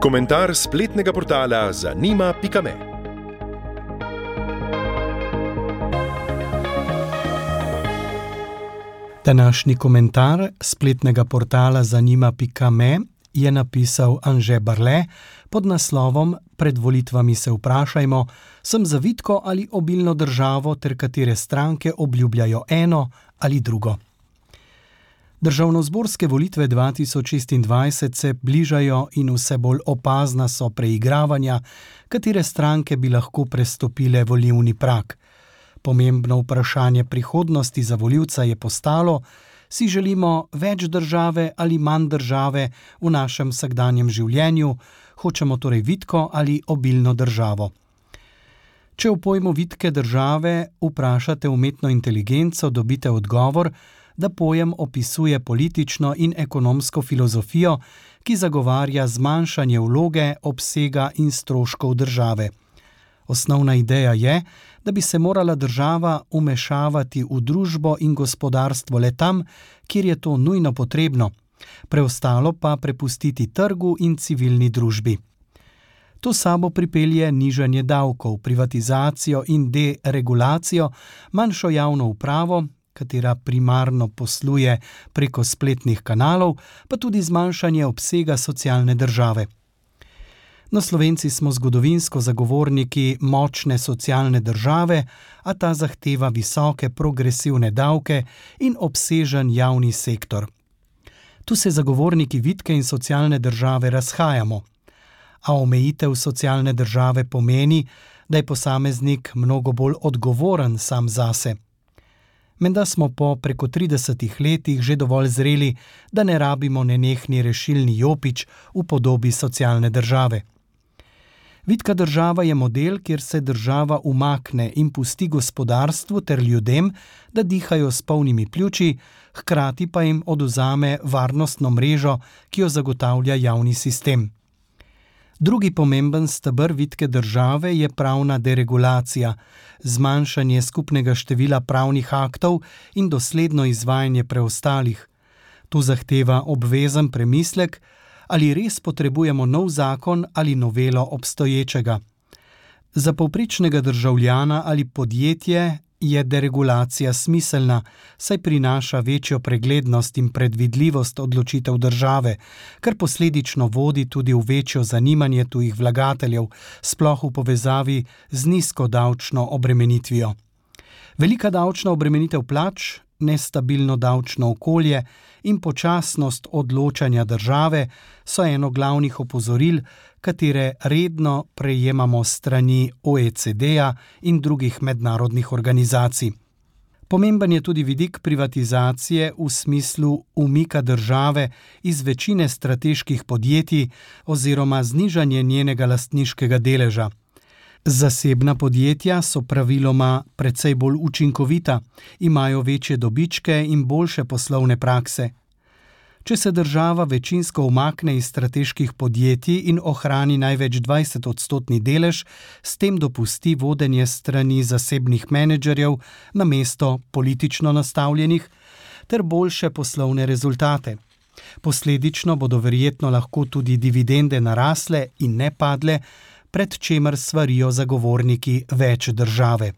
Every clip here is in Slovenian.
Komentar spletnega portala zanima.me. Današnji komentar spletnega portala zanima.me je napisal Anže Barle pod naslovom Pred volitvami se vprašajmo, sem za vitko ali obilno državo ter katere stranke obljubljajo eno ali drugo. Državnozborske volitve 2026 se bližajo in vse bolj opazna so preigravanja, katere stranke bi lahko prestopile volilni prag. Pomembno vprašanje prihodnosti za volivca je postalo, si želimo več države ali manj države v našem vsakdanjem življenju, hočemo torej vitko ali obilno državo. Če v pojmu vitke države vprašate umetno inteligenco, dobite odgovor, da pojem opisuje politično in ekonomsko filozofijo, ki zagovarja zmanjšanje vloge, obsega in stroškov države. Osnovna ideja je, da bi se morala država vmešavati v družbo in gospodarstvo le tam, kjer je to nujno potrebno, preostalo pa prepustiti trgu in civilni družbi. To sabo pripelje nižanje davkov, privatizacijo in deregulacijo, manjšo javno upravo, katera primarno posluje preko spletnih kanalov, pa tudi zmanjšanje obsega socialne države. No, Slovenci smo zgodovinsko zagovorniki močne socialne države, a ta zahteva visoke progresivne davke in obsežen javni sektor. Tu se zagovorniki vitke in socialne države razhajamo, a omejitev socialne države pomeni, da je posameznik mnogo bolj odgovoren sam zase. Menda smo po preko 30 letih že dovolj zreli, da ne rabimo nenehni rešilni jopič v podobi socialne države. Vitka država je model, kjer se država umakne in pusti gospodarstvu ter ljudem, da dihajo s polnimi pljuči, hkrati pa jim odvzame varnostno mrežo, ki jo zagotavlja javni sistem. Drugi pomemben steber vitke države je pravna deregulacija, zmanjšanje skupnega števila pravnih aktov in dosledno izvajanje preostalih. To zahteva obvezen premislek, ali res potrebujemo nov zakon ali novelo obstoječega. Za povprečnega državljana ali podjetje je deregulacija smiselna, saj prinaša večjo preglednost in predvidljivost odločitev države, kar posledično vodi tudi v večjo zanimanje tujih vlagateljev, sploh v povezavi z nizko davčno obremenitvijo. Velika davčna obremenitev plač, nestabilno davčno okolje in počasnost odločanja države so eno glavnih opozoril, katere redno prejemamo s strani OECD-ja in drugih mednarodnih organizacij. Pomemben je tudi vidik privatizacije v smislu umika države iz večine strateških podjetij oziroma znižanje njenega lastniškega deleža. Zasebna podjetja so praviloma precej bolj učinkovita, imajo večje dobičke in boljše poslovne prakse. Če se država večinsko umakne iz strateških podjetij in ohrani največ 20% delež, s tem dopusti vodenje strani zasebnih menedžerjev namesto politično nastavljenih ter boljše poslovne rezultate. Posledično bodo verjetno lahko tudi dividende narasle in ne padle, pred čemer svarijo zagovorniki več države.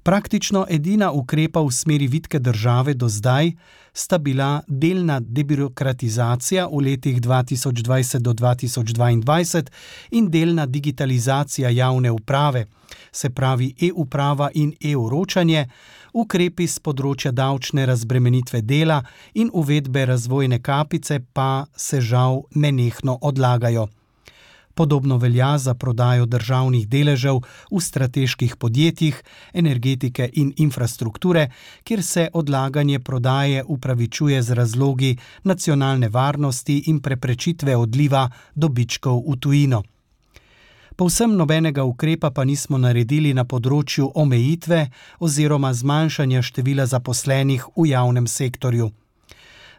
Praktično edina ukrepa v smeri vitke države do zdaj sta bila delna debirokratizacija v letih 2020 do 2022 in delna digitalizacija javne uprave, se pravi e-uprava in e-vročanje, ukrepi z področja davčne razbremenitve dela in uvedbe razvojne kapice pa se žal nenehno odlagajo. Podobno velja za prodajo državnih deležev v strateških podjetjih, energetike in infrastrukture, kjer se odlaganje prodaje upravičuje z razlogi nacionalne varnosti in preprečitve odliva dobičkov v tujino. Povsem nobenega ukrepa pa nismo naredili na področju omejitve oziroma zmanjšanja števila zaposlenih v javnem sektorju.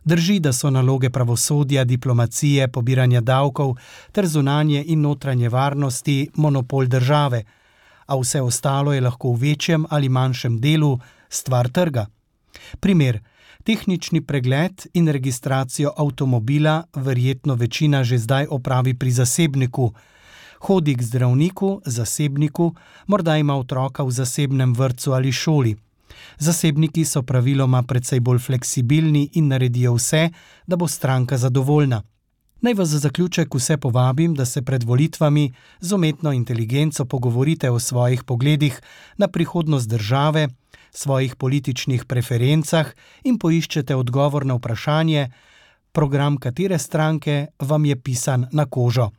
Drži, da so naloge pravosodja, diplomacije, pobiranja davkov ter zunanje in notranje varnosti monopol države, a vse ostalo je lahko v večjem ali manjšem delu stvar trga. Primer, Tehnični pregled in registracijo avtomobila verjetno večina že zdaj opravi pri zasebniku. Hodi k zdravniku, zasebniku, morda ima otroka v zasebnem vrtcu ali šoli. Zasebniki so praviloma precej bolj fleksibilni in naredijo vse, da bo stranka zadovoljna. Naj vas za zaključek vse povabim, da se pred volitvami z umetno inteligenco pogovorite o svojih pogledih na prihodnost države, svojih političnih preferencah in poiščete odgovor na vprašanje, program katere stranke vam je pisan na kožo.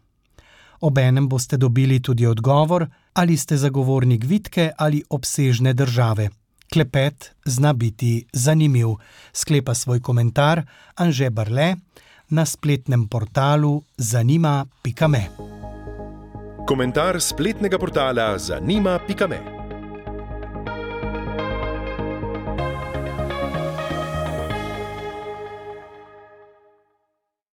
Obenem boste dobili tudi odgovor, ali ste zagovornik vitke ali obsežne države. Klepet zna biti zanimiv, sklepa svoj komentar Anže Barle na spletnem portalu zanima.me. Komentar spletnega portala zanima.me.